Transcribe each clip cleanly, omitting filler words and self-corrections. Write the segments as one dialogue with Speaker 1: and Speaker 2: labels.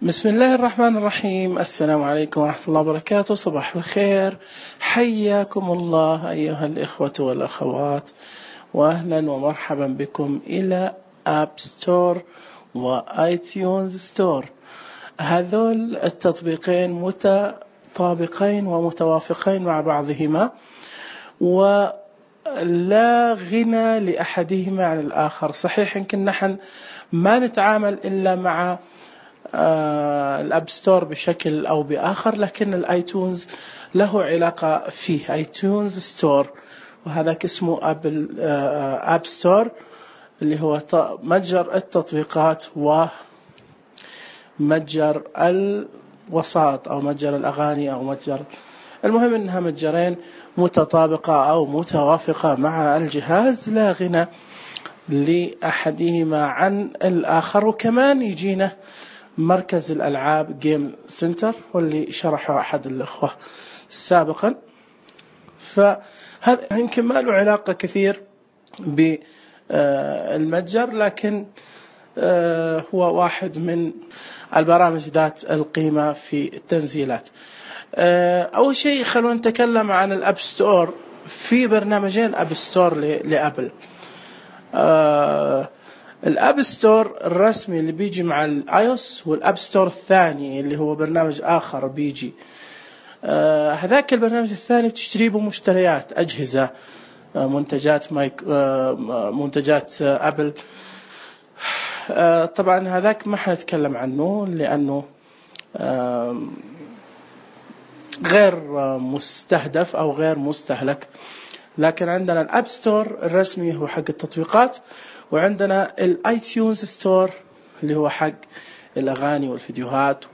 Speaker 1: بسم الله الرحمن الرحيم. السلام عليكم ورحمة الله وبركاته. صباح الخير، حياكم الله أيها الإخوة والأخوات، وأهلا ومرحبا بكم إلى آب ستور وآيتيونز ستور. هذول التطبيقين متطابقين ومتوافقين مع بعضهما، ولا غنى لأحدهما عن الآخر. صحيح يمكن نحن ما نتعامل إلا مع الأب ستور بشكل أو بآخر، لكن الآيتونز له علاقة فيه. آيتونز ستور وهذاك اسمه آب ستور، اللي هو متجر التطبيقات ومتجر الوساط أو متجر الأغاني أو متجر، المهم أنها متجرين متطابقة أو متوافقة مع الجهاز، لا غنى لأحدهما عن الآخر. وكمان يجينا مركز الألعاب جيم سنتر، واللي شرحه أحد الأخوة سابقا، فهذا يمكن ما له علاقة كثير بالمتجر، لكن هو واحد من البرامج ذات القيمة في التنزيلات. أول شيء خلونا نتكلم عن الأب ستور. في برنامجين أب ستور لأبل. الأب ستور الرسمي اللي بيجي مع الآيوس، والأب ستور الثاني اللي هو برنامج آخر بيجي. هذاك البرنامج الثاني بتشتري به مشتريات أجهزة، منتجات أبل. طبعا هذاك ما حنتكلم عنه لأنه غير مستهدف أو غير مستهلك. لكن عندنا الأب ستور الرسمي هو حق التطبيقات، وعندنا الايتيونز ستور اللي هو حق الأغاني والفيديوهات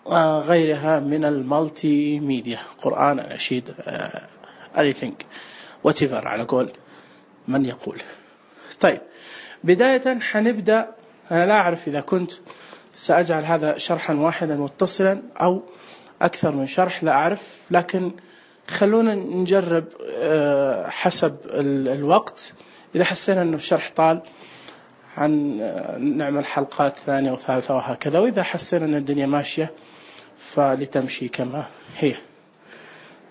Speaker 1: وغيرها من المالتي ميديا، قرآن، أناشيد، anything whatever على قول من يقول. طيب بداية حنبدأ. أنا لا أعرف إذا كنت سأجعل هذا شرحا واحدا متصلا أو أكثر من شرح، لا أعرف، لكن خلونا نجرب حسب الوقت. إذا حسينا أنه الشرح طال نعمل حلقات ثانية وثالثة وهكذا، وإذا حسينا أن الدنيا ماشية فلتمشي كما هي.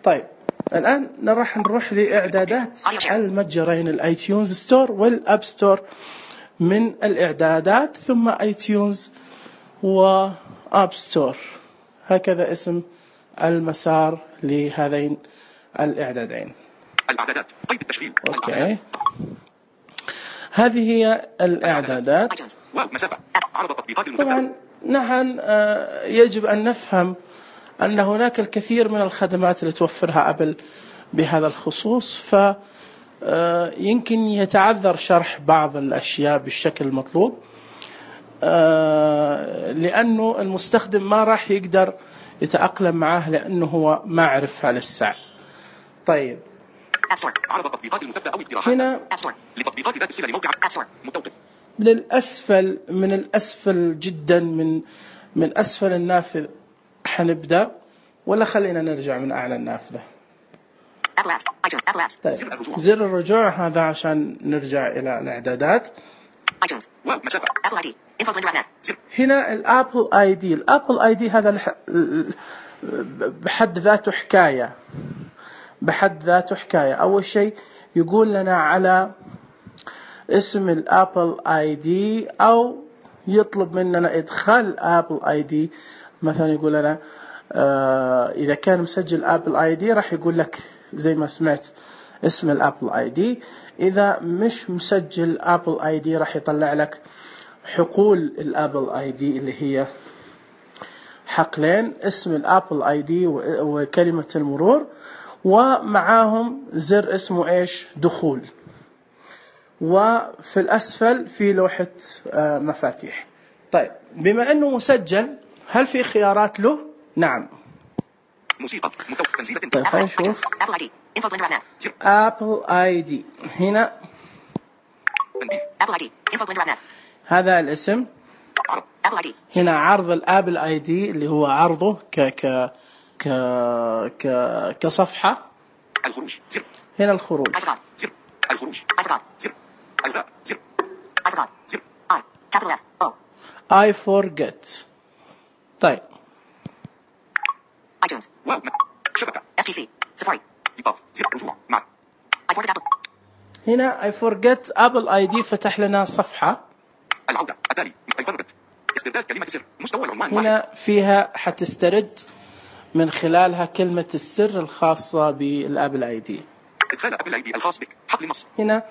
Speaker 1: طيب الآن راح نروح لإعدادات المتجرين الآيتيونز ستور والأب ستور. من الإعدادات ثم آيتيونز وآب ستور، هكذا اسم المسار لهذين الإعدادين. الإعدادات قيد التشغيل. أوكي، هذه هي الإعدادات. طبعا نحن يجب أن نفهم أن هناك الكثير من الخدمات اللي توفرها أبل بهذا الخصوص، فيمكن يتعذر شرح بعض الأشياء بالشكل المطلوب، لأنه المستخدم ما راح يقدر يتأقلم معه لأنه هو ما عرفها لسه. طيب هنا لتطبيقات ذات الصلة لموقع متوقف للأسفل، من الأسفل جدا، من أسفل النافذ حنبدأ، ولا خلينا نرجع من أعلى النافذة؟ طيب زر الرجوع هذا عشان نرجع إلى الإعدادات. هنا الأبل آي دي. الأبل آي دي هذا بحد ذاته حكاية. أول شيء يقول لنا على اسم الأبل آي دي، أو يطلب مننا إدخال أبل آي دي. مثلا يقول لنا إذا كان مسجل أبل آي دي راح يقول لك زي ما سمعت اسم الأبل آي دي. إذا مش مسجل أبل آي دي راح يطلع لك حقول الأبل آي دي، اللي هي حقلين، اسم الأبل آي دي وكلمة المرور، ومعاهم زر اسمه إيش؟ دخول. وفي الأسفل في لوحة مفاتيح. طيب بما أنه مسجل، هل في خيارات له؟ نعم. موسيقى تنزيل. طيب خلينا نشوف أبل آي دي. هنا هذا الاسم. هنا عرض الأبل آي دي اللي هو عرضه كصفحة. الخروج. هنا الخروج. الخروج. I forget. طيب
Speaker 2: iTunes. واو شبكة STC سفاري إيقاف زر رجوع مع I forget Apple.
Speaker 1: هنا I forget Apple ID فتح لنا صفحة.
Speaker 2: العودة التالي I forget استرداد كلمة سر مستوى العنوان
Speaker 1: هنا فيها حتسترد من خلالها كلمة السر الخاصة بالابل اي دي.
Speaker 2: ادخال ابل اي دي الخاص بك حقل النص.
Speaker 1: هنا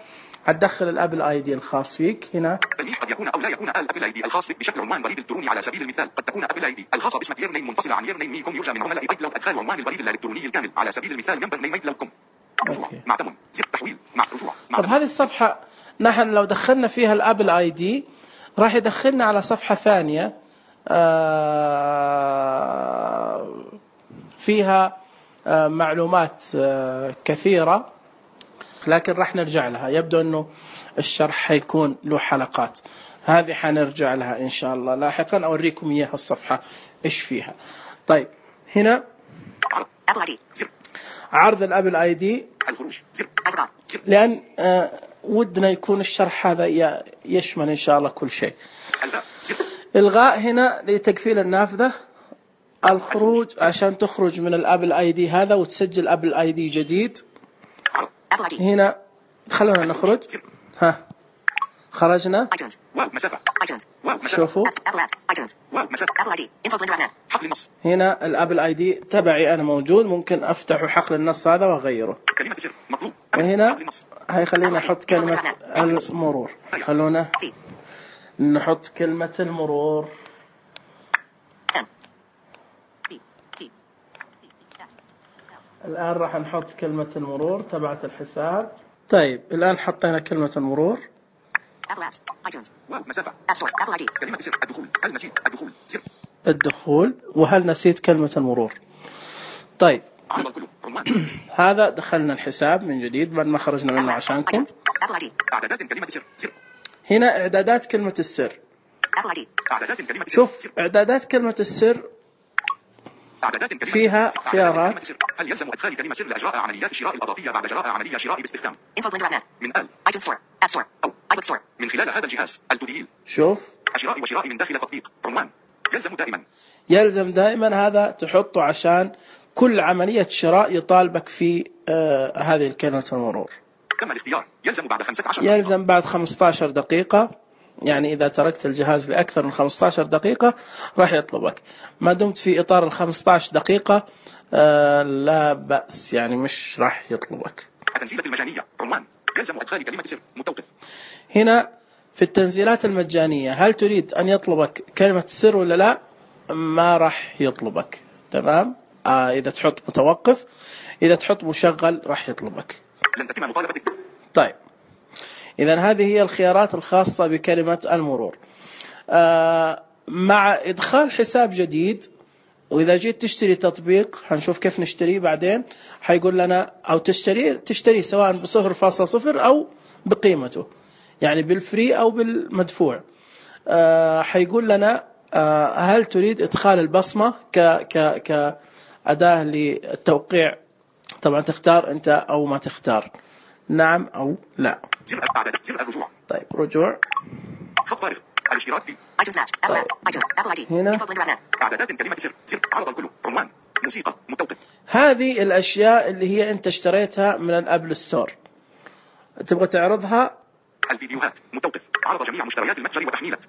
Speaker 1: هتدخل الابل اي دي الخاص فيك. هنا
Speaker 2: تلميح قد يكون او لا يكون الابل اي دي الخاص بك بشكل عنوان بريد الالكتروني. على سبيل المثال قد تكون ابل اي دي الخاصه باسمك يير نيم منفصله عن يير نيم مي كوم. يرجى من عملاء ايكلاود ادخال عنوان البريد الالكتروني الكامل. على سبيل المثال ممبر نيم ايكلاود كوم. رجوع مع تمن زر تحويل مع رجوع.
Speaker 1: طب هذه الصفحة نحن لو دخلنا فيها الابل اي دي راح يدخلنا على صفحة ثانية فيها معلومات كثيرة، لكن راح نرجع لها. يبدو أنه الشرح حيكون له حلقات، هذه حنرجع لها إن شاء الله لاحقا، أوريكم إياها الصفحة إيش فيها. طيب هنا عرض الأبل آي دي، لأن ودنا يكون الشرح هذا يشمل إن شاء الله كل شيء. إلغاء هنا لتقفيل النافذة. الخروج عشان تخرج من الابل اي دي هذا وتسجل ابل اي دي جديد. هنا خلونا نخرج. ها خرجنا. شوفوا هنا الابل اي دي تبعي انا موجود، ممكن افتح حقل النص هذا واغيره. وهنا هيخلينا نحط كلمة المرور. خلونا نحط كلمة المرور. الآن راح نحط كلمة المرور تبعت الحساب. طيب الآن حطينا كلمة المرور. الدخول. وهل نسيت كلمة المرور؟ طيب هذا دخلنا الحساب من جديد بعد ما خرجنا منه عشانكم. هنا إعدادات كلمة السر. شوف إعدادات كلمة السر فيها خيارات.
Speaker 2: هل يلزم ادخال كلمه سر لاجراء عمليات الشراء الاضافيه بعد جراء عمليه شراء باستخدام من iTunes Store, App Store او iBook Store من خلال هذا الجهاز التدخين؟
Speaker 1: شوف
Speaker 2: الشراء وشراء من داخل تطبيق عنوان
Speaker 1: يلزم دائما هذا تحطه عشان كل عملية شراء يطالبك في هذه الكلمة المرور.
Speaker 2: تم الاختيار.
Speaker 1: يلزم بعد 15 دقيقة، يعني إذا تركت الجهاز لأكثر من 15 دقيقة راح يطلبك. ما دمت في إطار 15 دقيقة لا بأس، يعني مش راح يطلبك.
Speaker 2: التنزيلات المجانية عنوان يلزم أدخال كلمة سر متوقف.
Speaker 1: هنا في التنزيلات المجانية هل تريد أن يطلبك كلمة السر ولا لا؟ ما راح يطلبك. تمام. إذا تحط متوقف، إذا تحط مشغل راح يطلبك.
Speaker 2: لن تتم مطالبتك.
Speaker 1: طيب إذن هذه هي الخيارات الخاصة بكلمة المرور. مع إدخال حساب جديد، وإذا جيت تشتري تطبيق هنشوف كيف نشتريه بعدين، حيقول لنا أو تشتري سواء ب0.0 أو بقيمته، يعني بالفري أو بالمدفوع. حيقول لنا هل تريد إدخال البصمة كأداة للتوقيع؟ طبعا تختار أنت أو ما تختار، نعم أو لا. طيب رجوع.
Speaker 2: خط فارغ. الاشتراك في
Speaker 1: طيب. هنا
Speaker 2: اعدادات كلمة سر عرض الكل عنوان موسيقى متوقف.
Speaker 1: هذه الأشياء اللي هي أنت اشتريتها من الأبل ستور تبغى تعرضها.
Speaker 2: الفيديوهات متوقف. عرض جميع مشتريات المتجر وتحميلات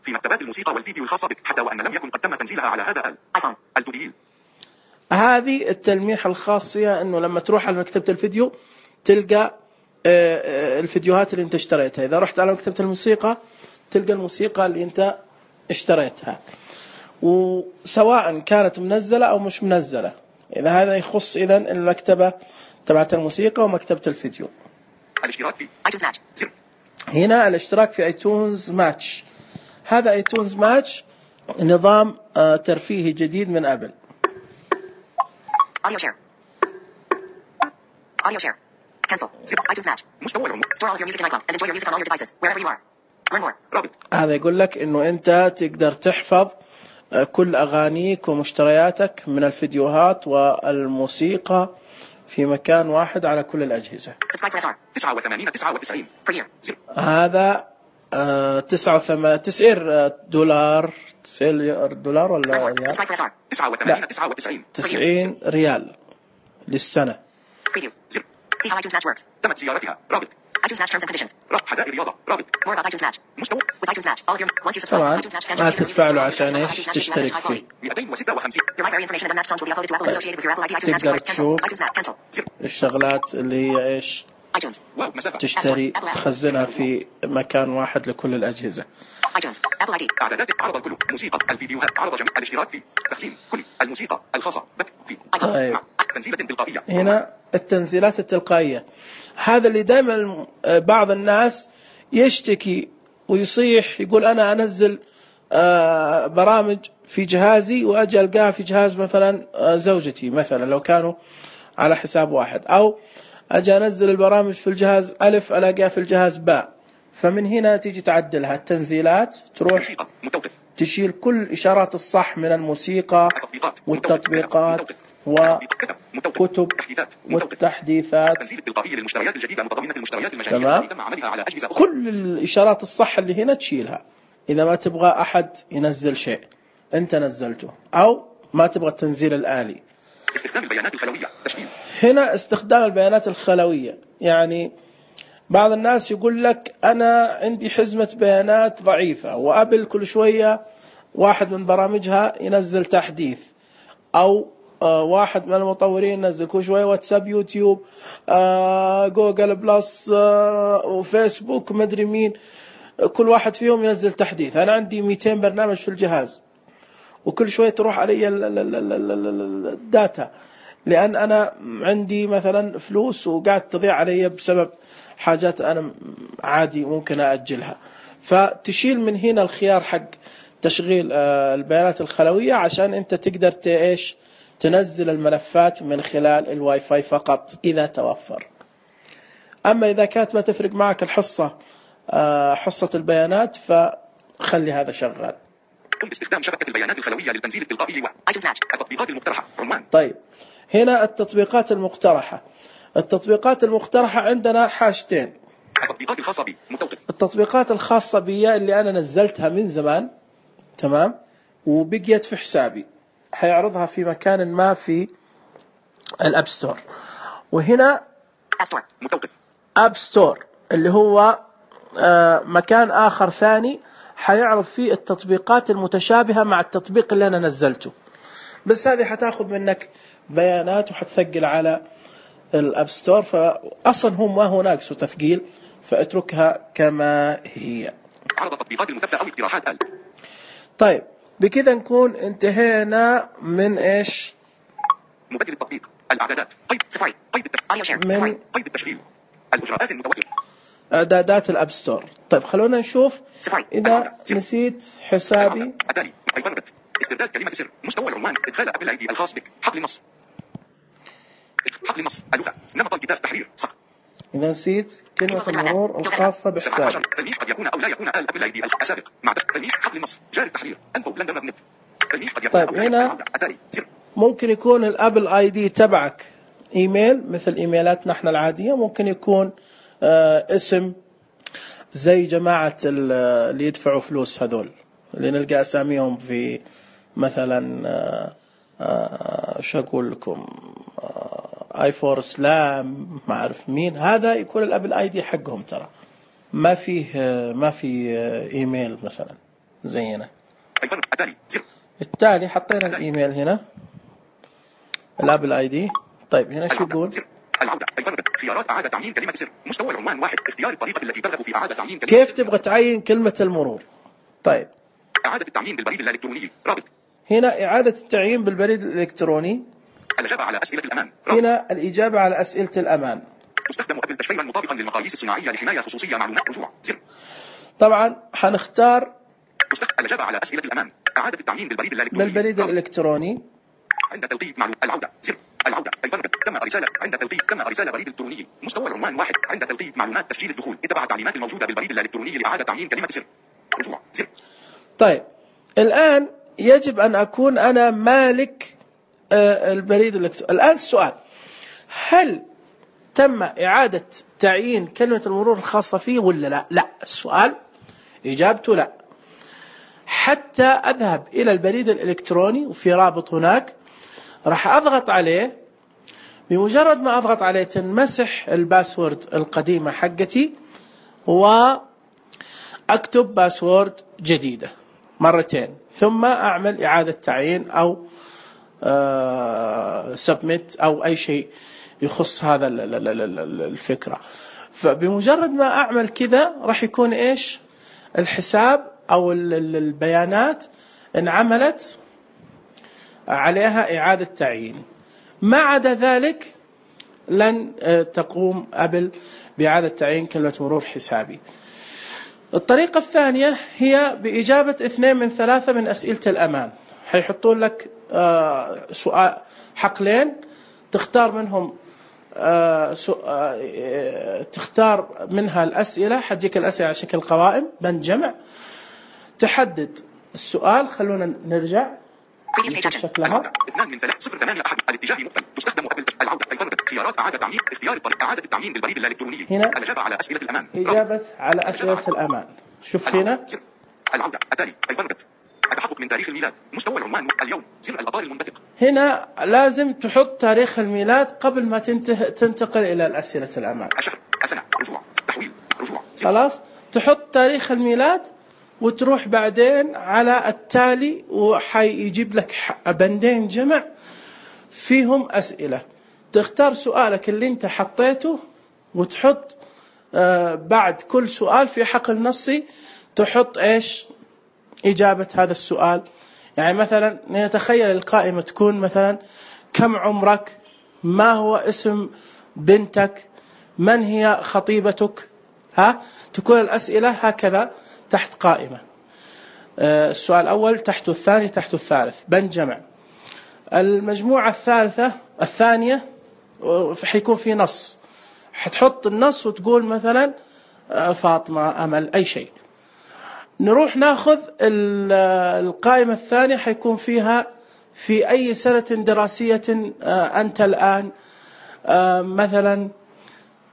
Speaker 2: في مكتبات الموسيقى والفيديو الخاصة بك حتى وأن لم يكن قد تم تنزيلها على هذا الآيفون. التدخين.
Speaker 1: هذه التلميح الخاص فيها أنه لما تروح على مكتبة الفيديو تلقى الفيديوهات اللي انت اشتريتها. إذا رحت على مكتبة الموسيقى تلقى الموسيقى اللي انت اشتريتها، وسواء كانت منزلة أو مش منزلة. إذا هذا يخص إذن المكتبة تبعت الموسيقى ومكتبة الفيديو.
Speaker 2: الاشتراك في iTunes Match.
Speaker 1: هنا الاشتراك في iTunes Match. هذا iTunes Match نظام ترفيهي جديد من أبل.
Speaker 2: Audio share. Cancel. iTunes Match. مستوى العمر. Store all of your music in iCloud and enjoy your music on all your devices wherever you are. Learn more. رابط.
Speaker 1: هذا يقول لك إنه أنت تقدر تحفظ كل أغانيك ومشترياتك من الفيديوهات والموسيقى في مكان واحد على كل الأجهزة.
Speaker 2: Subscribe for SR. 89.99 per year.
Speaker 1: هذا $90 $90 ولا ريال؟ 90 ريال للسنة.
Speaker 2: تمت زيارتها. رابط رابط حدائق رياضة. رابط مستوى
Speaker 1: طبعا ما تدفع له عشان ايش تشترك فيه.
Speaker 2: 256
Speaker 1: تقدر تشوف الشغلات اللي هي ايش تشتري تخزنها في مكان واحد لكل الأجهزة.
Speaker 2: اعدادات عرض الكل موسيقى الفيديوهات عرض جميع الاشتراك في تخزين كل الموسيقى الخاصة بك في
Speaker 1: طيب.
Speaker 2: تنزيلات تلقائية.
Speaker 1: هنا التنزيلات التلقائية، هذا اللي دائما بعض الناس يشتكي ويصيح يقول أنا أنزل برامج في جهازي وأجي ألقاها في جهاز مثلا زوجتي، مثلا لو كانوا على حساب واحد، أو أجي أنزل البرامج في الجهاز ألف ألاقيها في الجهاز باء. فمن هنا تيجي تعدلها التنزيلات، تروح تشيل كل إشارات الصح من الموسيقى والتطبيقات وكتب والتحديثات. تمام. كل الإشارات الصح اللي هنا تشيلها. إذا ما تبغى أحد ينزل شيء أنت نزلته، أو ما تبغى التنزيل الآلي.
Speaker 2: استخدام البيانات الخلوية تشكيل.
Speaker 1: هنا استخدام البيانات الخلوية، يعني بعض الناس يقول لك أنا عندي حزمة بيانات ضعيفة، وأبل كل شوية واحد من برامجها ينزل تحديث، أو واحد من المطورين ينزل كل شوية واتساب، يوتيوب، جوجل بلس، وفيسبوك، مدري مين، كل واحد فيهم ينزل تحديث. أنا عندي 200 برنامج في الجهاز، وكل شوية تروح علي الداتا، لأن أنا عندي مثلا فلوس وقاعد تضيع علي بسبب حاجات أنا عادي ممكن أأجلها. فتشيل من هنا الخيار حق تشغيل البيانات الخلوية عشان أنت تقدر إيش تنزل الملفات من خلال الواي فاي فقط إذا توفر. أما إذا كانت ما تفرق معك الحصة حصة البيانات فخلي هذا شغال.
Speaker 2: قم باستخدام شبكة البيانات الخلوية للتنزيل التلقائي التطبيقات المقترحة. عنوان.
Speaker 1: طيب هنا التطبيقات المقترحة. التطبيقات المقترحة عندنا حاجتين.
Speaker 2: التطبيقات الخاصة بي متوقف.
Speaker 1: التطبيقات الخاصة بي اللي أنا نزلتها من زمان، تمام، وبقيت في حسابي، حيعرضها في مكان ما في الأب ستور. وهنا
Speaker 2: أب ستور متوقف.
Speaker 1: أب ستور اللي هو مكان آخر ثاني حيعرض فيه التطبيقات المتشابهة مع التطبيق اللي أنا نزلته، بس هذه حتاخذ منك بيانات وحتثقل على الأب ستور، فأصلا هم ما هو ناقص تثقيل، فاتركها كما هي.
Speaker 2: عرض التطبيقات المثبتة أو اقتراحات
Speaker 1: طيب بكذا نكون انتهينا من إيش؟
Speaker 2: مبدل التطبيق، الإعدادات، قيد سفاري، قيد التشغيل، قيد التشغيل، الإجراءات المتوقفة،
Speaker 1: إعدادات الأب ستور. طيب خلونا نشوف إذا نسيت حسابي.
Speaker 2: التالي استرداد كلمة سر، مستوى العنوان، إدخال أبل أي دي الخاص بك، حقل النص، حقل النص، اللغة، نمط الكتاب، تحرير، صح.
Speaker 1: إذا نسيت كلمة المرور الخاصة بحسابي.
Speaker 2: تلميح قد يكون أو لا يكون أبل أي دي السابق مع تلميح حقل النص، جاري التحرير، أنفو لندن مبنت. تلميح قد يكون.
Speaker 1: طيب هنا ممكن يكون الأبل آي دي تبعك إيميل مثل إيميلاتنا احنا العادية، ممكن يكون اسم زي جماعة اللي يدفعوا فلوس هذول اللي نلقى أساميهم في مثلا شو أقول لكم اي فور سلام، ما أعرف مين، هذا يكون الأبل آي دي حقهم. ترى ما فيه إيميل مثلا زينا. التالي حطينا الإيميل هنا الأبل آي دي. طيب هنا شو يقول؟
Speaker 2: العودة. خيارات إعادة تعيين كلمة سر، مستوى العنوان واحد، اختيار الطريقة التي ترغب في إعادة تعيين كلمة
Speaker 1: كيف
Speaker 2: سر.
Speaker 1: تبغى تعين كلمة المرور؟ طيب
Speaker 2: إعادة التعيين بالبريد الإلكتروني، رابط.
Speaker 1: هنا إعادة التعيين بالبريد الإلكتروني.
Speaker 2: الإجابة على أسئلة الأمان،
Speaker 1: رابط. هنا الإجابة على أسئلة الأمان.
Speaker 2: تستخدم أبل تشفيرا مطابقا للمقاييس الصناعية لحماية خصوصية معلومات رجوع، سر.
Speaker 1: طبعا حنختار
Speaker 2: الإجابة على أسئلة الأمان، إعادة التعيين بالبريد
Speaker 1: الإلكتروني
Speaker 2: عند تلقيب معلومات. العودة، سر. العودة تم رسالة عند تلقيب، تم رسالة بريد إلكتروني، مستوى العنوان واحد، عند تلقيب معلومات تسجيل الدخول، اتبع التعليمات الموجودة بالبريد الإلكتروني لإعادة تعيين كلمة سر، رجوع، سر.
Speaker 1: طيب الآن يجب أن أكون أنا مالك البريد الإلكتروني. الآن السؤال، هل تم إعادة تعيين كلمة المرور الخاصة فيه ولا لا؟ لا. السؤال إجابته لا. حتى أذهب إلى البريد الإلكتروني وفي رابط هناك راح أضغط عليه، بمجرد ما أضغط عليه تنمسح الباسورد القديمة حقتي وأكتب باسورد جديدة مرتين، ثم أعمل إعادة تعيين أو سبميت أو أي شيء يخص هذا الفكرة. فبمجرد ما أعمل كذا راح يكون إيش الحساب أو البيانات انعملت عليها إعادة تعيين. ما عدا ذلك لن تقوم أبل بإعادة تعيين كلمة مرور حسابي. الطريقة الثانية هي بإجابة 2 من 3 من أسئلة الأمان. حيحطون لك سؤال حقلين تختار منهم تختار منها الأسئلة، حتجيك الأسئلة على شكل قوائم بند جمع، تحدد السؤال. خلونا نرجع شكلها
Speaker 2: 2 من 3 0 8 الاتجاه مقفل. تستخدم أبل العودة الفرد خيارات إعادة تعيين اختيار الطريق إعادة التعيين بالبريد الإلكتروني.
Speaker 1: هنا
Speaker 2: الإجابة على أسئلة الأمان.
Speaker 1: إجابة على أسئلة الأمان. شوف هنا
Speaker 2: العودة التالي الفرد التحقق من تاريخ الميلاد مستوى العنوان اليوم زر الأطار المنبثق.
Speaker 1: هنا لازم تحط تاريخ الميلاد قبل ما تنتقل إلى الأسئلة الأمان.
Speaker 2: الشهر السنة رجوع تحويل رجوع.
Speaker 1: خلاص تحط تاريخ الميلاد وتروح بعدين على التالي وحيجيب لك بندين جمع فيهم أسئلة. تختار سؤالك اللي انت حطيته وتحط بعد كل سؤال في حقل نصي تحط ايش إجابة هذا السؤال. يعني مثلا نتخيل القائمة تكون مثلا كم عمرك، ما هو اسم بنتك، من هي خطيبتك، تكون الأسئلة هكذا تحت قائمة. السؤال الأول تحته الثاني تحته الثالث بند جمع. المجموعة الثانية حيكون في نص، حتحط النص وتقول مثلا فاطمة أمل أي شيء. نروح ناخذ القائمة الثانية حيكون فيها في أي سنة دراسية أنت الآن، مثلا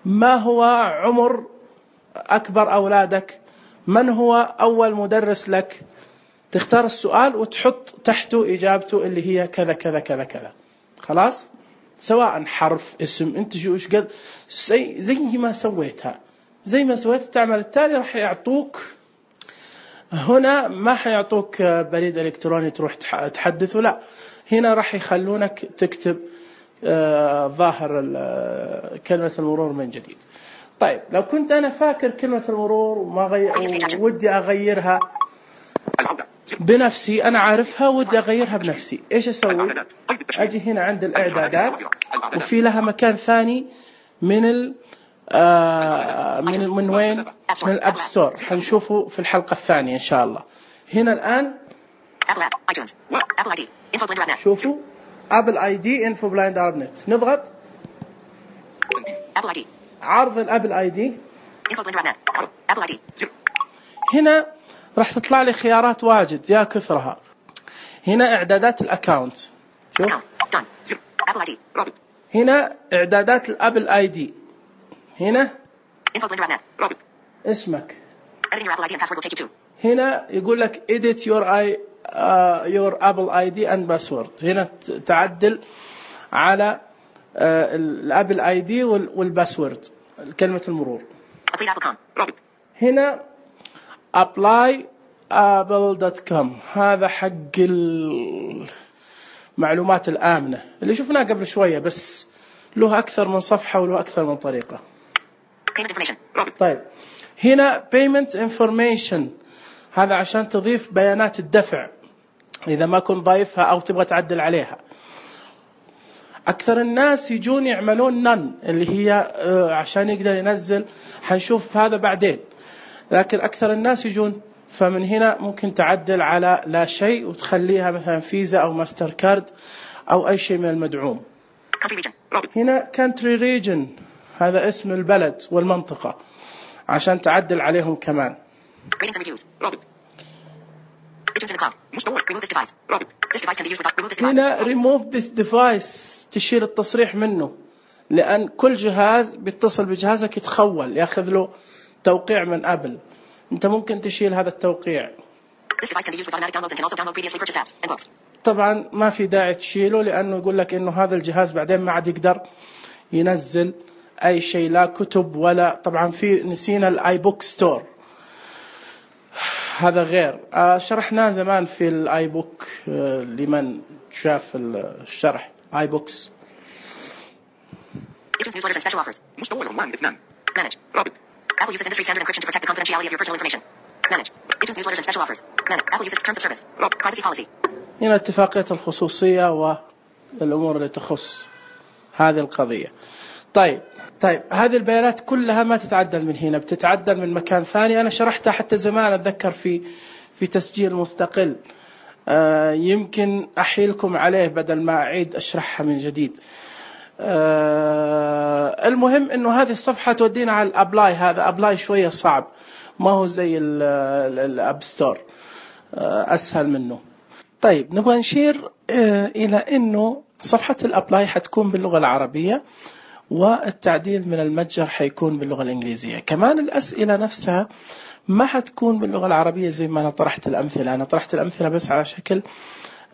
Speaker 1: ما هو عمر أكبر أولادك، من هو أول مدرس لك. تختار السؤال وتحط تحته إجابته اللي هي كذا كذا كذا كذا. خلاص سواء حرف اسم انت شو قد زي ما سويتها تعمل التالي راح يعطوك. هنا ما حيعطوك بريد إلكتروني تروح تحدثه، لا هنا راح يخلونك تكتب ظاهر كلمة المرور من جديد. طيب لو كنت أنا فاكر كلمة المرور ودي أغيرها بنفسي، أنا عارفها ودي أغيرها بنفسي، إيش أسوي؟ أجي هنا عند الإعدادات وفي لها مكان ثاني من من وين؟ من الأب ستور. حنشوفه في الحلقة الثانية إن شاء الله. هنا الآن شوفوا أبل آي دي إنفو بلايند نت. نضغط عرض الأبل آي دي. هنا راح تطلع لي خيارات واجد يا كثرها. هنا إعدادات الأكاونت، شوف هنا إعدادات الأبل آي دي، هنا اسمك، هنا يقول لك edit your Apple ID and password. هنا تعدل على الأبل آي دي والباسورد كلمة المرور. هنا apply apple.com هذا حق المعلومات الآمنة اللي شفناه قبل شوية، بس له أكثر من صفحة وله أكثر من طريقة. طيب هنا payment information هذا عشان تضيف بيانات الدفع إذا ما كنت ضايفها أو تبغى تعدل عليها. أكثر الناس يجون يعملون none اللي هي عشان يقدر ينزل، حنشوف هذا بعدين، لكن أكثر الناس يجون. فمن هنا ممكن تعدل على لا شيء وتخليها مثلا فيزا أو ماستر كارد أو أي شيء من المدعوم. هنا country region هذا اسم البلد والمنطقة عشان تعدل عليهم كمان. هنا remove this device تشيل التصريح منه، لأن كل جهاز بيتصل بجهازك يتخول يأخذ له توقيع من أبل، أنت ممكن تشيل هذا التوقيع. طبعا ما في داعي تشيله، لأنه يقول لك إنه هذا الجهاز بعدين ما عاد يقدر ينزل أي شيء، لا كتب ولا، طبعا في نسينا الآي بوك ستور، هذا غير شرحناه زمان في الآي بوك، لمن شاف الشرح آي بوكس.
Speaker 2: مستوى العنوان 2. Manage. رابط. Apple uses industry standard encryption to protect the confidentiality of your personal information. Manage. iTunes newsletters and special offers. Manage. Apple uses terms of service. رابط. Privacy policy.
Speaker 1: هنا اتفاقية الخصوصية والأمور اللي تخص هذه القضية. طيب هذه البيانات كلها ما تتعدل من هنا، بتتعدل من مكان ثاني. أنا شرحتها حتى زمان أتذكر في تسجيل مستقل، يمكن أحيلكم عليه بدل ما أعيد أشرحها من جديد. المهم إنه هذه الصفحة تودينا على الأبلاي. هذا أبلاي شوية صعب، ما هو زي الأب ستور، أسهل منه. طيب نبغى نشير إلى إنه صفحة الأبلاي حتكون باللغة العربية، والتعديل من المتجر حيكون باللغة الإنجليزية. كمان الأسئلة نفسها ما حتكون باللغة العربية زي ما أنا طرحت الأمثلة. أنا طرحت الأمثلة بس على شكل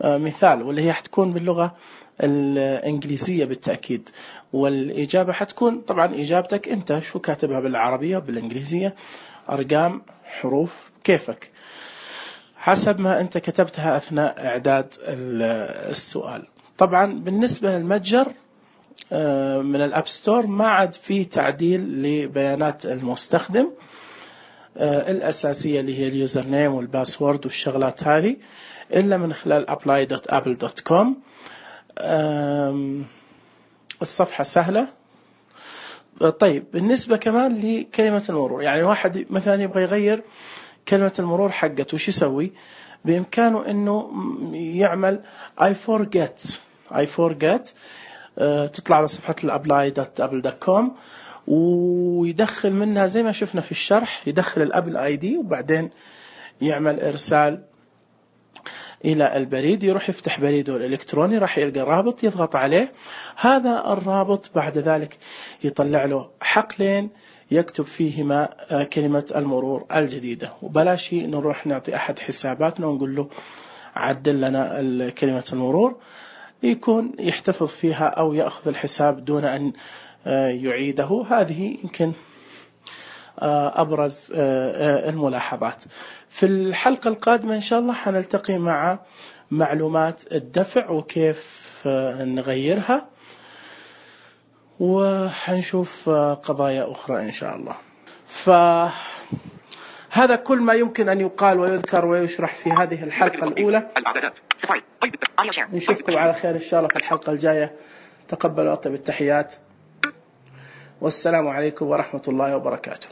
Speaker 1: مثال، واللي هي حتكون باللغة الإنجليزية بالتأكيد، والإجابة حتكون طبعا إجابتك أنت شو كاتبها بالعربية بالإنجليزية، أرقام، حروف، كيفك حسب ما أنت كتبتها أثناء إعداد السؤال. طبعا بالنسبة للمتجر من الأب ستور ما عاد فيه تعديل لبيانات المستخدم الأساسية اللي هي اليوزر نيم والباسورد والشغلات هذه، إلا من خلال apply.apple.com. الصفحة سهلة. طيب بالنسبة كمان لكلمة المرور، يعني واحد مثلا يبغى يغير كلمة المرور حقته، وش يسوي؟ بإمكانه إنه يعمل I forget تطلع على صفحة apply.apple.com ويدخل منها زي ما شفنا في الشرح، يدخل الأبل آي دي وبعدين يعمل إرسال إلى البريد. يروح يفتح بريده الإلكتروني، راح يلقى رابط يضغط عليه. هذا الرابط بعد ذلك يطلع له حقلين يكتب فيهما كلمة المرور الجديدة، وبلاش نروح نعطي أحد حساباتنا ونقول له عدل لنا كلمة المرور، يكون يحتفظ فيها أو يأخذ الحساب دون أن يعيده. هذه يمكن أبرز الملاحظات. في الحلقة القادمة إن شاء الله حنلتقي مع معلومات الدفع وكيف نغيرها، وحنشوف قضايا أخرى إن شاء الله. فهذا كل ما يمكن أن يقال ويذكر ويشرح في هذه الحلقة الأولى. نشوفكم على خير إن شاء الله في الحلقة الجاية. تقبلوا أطيب التحيات، والسلام عليكم ورحمة الله وبركاته.